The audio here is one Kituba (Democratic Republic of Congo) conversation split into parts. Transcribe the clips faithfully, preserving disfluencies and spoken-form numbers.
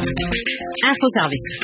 Info Service.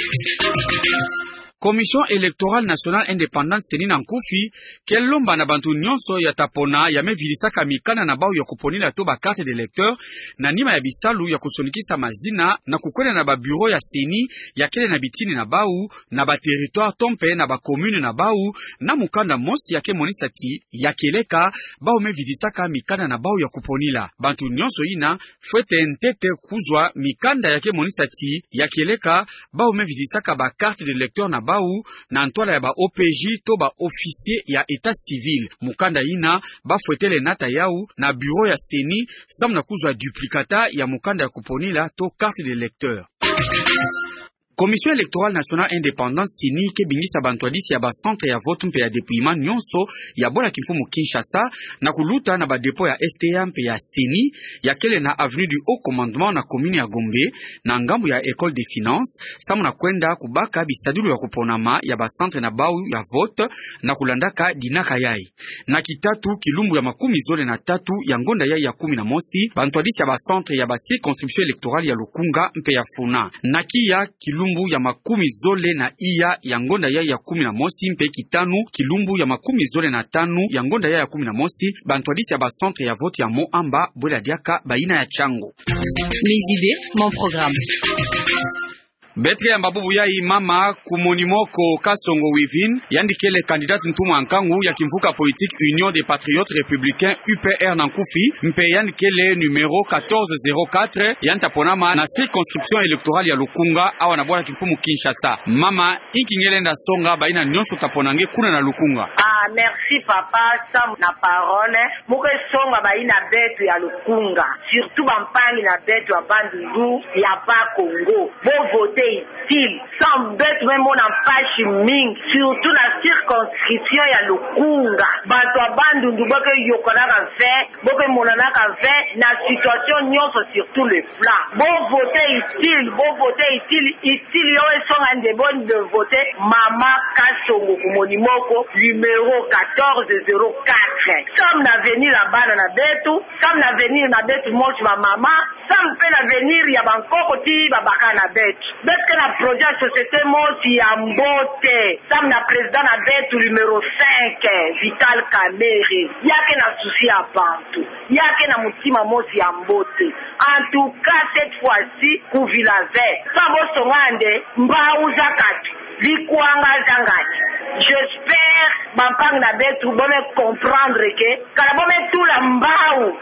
Commission Électorale Nationale Indépendante, CENI, na nkufi, ke lomba na bantu nyonso ya ta pona ya me vidisaka mikanda na bau ya kuponila to ba carte d'électeur, na nima ya bisalu ya kusonikisa mazina, na kukwenda na ba bureau ya CENI, ya kele na bitini na bau, na ba territoire to mpe na ba commune na bau, na mukanda mosi ya ke monisa ti, ya kieleka, bau me vidisaka mikanda na bau ya kuponila. Bantu nyonso yina, fwete ntete kuzwa mikanda ya ke monisa ti, ya kieleka, bau me vidisaka ba carte d'électeur na bau, na ntwala ya ba O P J to ba officier ya état civil. Mukanda yina, ba fwetele nata yau, na bureau ya CENI, samu na kuzwa duplicata ya mukanda ya kuponila to carte d'électeur. Commission Électorale Nationale Indépendante, CENI, ke bingisa bantwadisi ya ba centre ya vote mpe ya dépouillement nyonso ya bola kimfumu Kinshasa, na kuluta na ba dépôt ya S T A mpe ya CENI, ya kele na avenue du Haut Commandement na commune ya Gombe, na ngambu ya École des Finances, samu na kwenda kubaka bisadulu ya kuponama ya ba centre na bau ya vote, na kulandaka dinaka yai. Na kitatu, kilumbu ya makumi zole na tatu ya ngonda yai ya kumi na mosi, bantwadisi ya ba centre ya ba circonscription électorale ya Lukunga mpe ya Funa. Na kiya, kilumbu ya makumi zole na iya ya ngonda yai ya kumi na mosi mpe kitanu, kilumbu ya makumi zole na tanu ya ngonda yai ya kumi na mosi, bantwadisi ya ba centre ya vote ya Moamba, bwela diaka bayina ya Chango. Mes idées, mon programme. Beto ke yamba bubu yai mama Kumoni Moko Kasongo Wivine, yandi kele candidate ntumwa nkangu ya kimvuka politique Union des Patriotes Républicains, U P R, na nkufi, mpe yandi kele numéro quatorze zéro quatre, yandi ta ponama na circonscription électorale ya Lukunga, awa na bola kimfumu Kinshasa. Mama, inki nge lenda songa bayina nyonso ta pona nge kuna na Lukunga? Ah, merci papa Sam na parole. Mu ke songa bayina beto ya Lukunga, surtout bampangi na beto ya Bandundu, ya Bas-Congo. Bo voter utile. Sam, beto me mona mpasi mingi, surtout na circonscription ya Lukunga. Bantu ya Bandundu bo ke yokanaka mfe, bo ke monanaka mfe na situation nyonso sur tous les plans. Bo voter utile, bo voter utile, utile yo esonga nde bo nde voter mama Kasongo Kumoni Moko, numéro quatorze zéro quatre. Sam na avenir ya bana na beto, sam na avenir na beto mosi bamama, sam mpe na avenir ya bankoko ti babaka na beto. Beto ke na projet ya société mosi ya mbote, sam na président na beto numéro cinq, Vital Kamerhe. Ya ke na souci ya bantu, ya ke na mutima mosi ya mbote. En tout cas, cette fois-ci, kuvila ve. Sam bo songa nde mbau za katu, bikwanga za ngani. J'espère bampangi na beto bo me comprendre que kala bo me tula mbau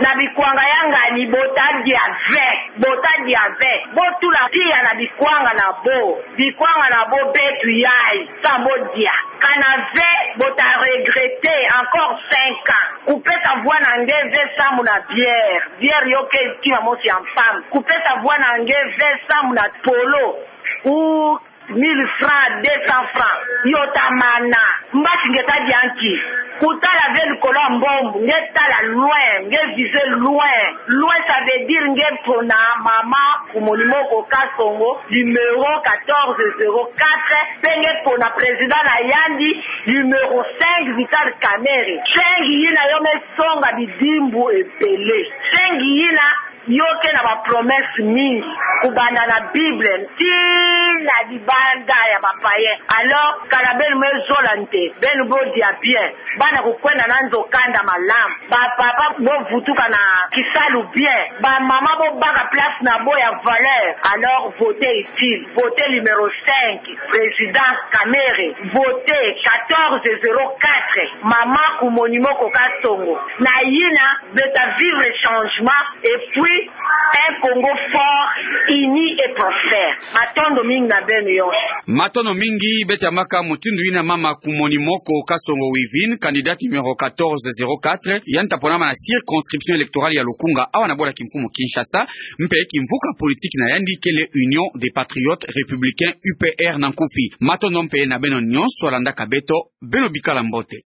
na bikwanga ya ngani, bo ta dia ve, bo ta dia ve. Bo tula tiya na bikwanga na bo, bikwanga na bo beto yai, sam bo dia. Kana ve, bo ta regretter encore cinq ans. Kupesa vwa na nge ve samu na bière, bière yo ke kima mosi ya mpamba. Kupesa vwa na nge ve samu na polo, ou mille francs, deux cents francs, yo ta mana. Mbasi nge ta dia nki? Kutala ve likolo ya mbombo, nge tala loin, nge viser loin. Loin, ça veut dire nge pona mama Kumoni Moko Kasongo, numéro quatorze zéro quatre, mpe nge pona président na yandi, numéro cinq, Vital Kamerhe. Cinq yina yo me songa bidimbu ebele. Cinq yina yo ke na ba promesse mingi, kubanda na Bible tii na libanda ya ba païen. Alors, kala beno me zola nde, beno bo dia bien, bana kukwenda na nzo kanda malamu, bapapa bo vutuka na kisalu bien, bamama bo baka place na bo ya valeur. Alors, voter utile, voter numéro cinq, président Kamerhe, voter quatorze zéro quatre, mama Kumoni Moko Kasongo. Na yina, beto ta vivre changement, et puis un Congo fort, uni et prospère. Matondo mingi na beno yonso. Matondo mingi, beto yambaka mutindu yina mama Kumoni Moko Kasongo Wivine, candidate numéro quatorze zéro quatre, yandi ta ponama na circonscription électorale ya Lukunga, awa na bola kimfumu Kinshasa, mpe kimvuka politique na yandi kele Union des Patriotes Républicains, U P R, na nkufi. Matondo mpe na beno nyonso landaka beto, beno bikala mbote.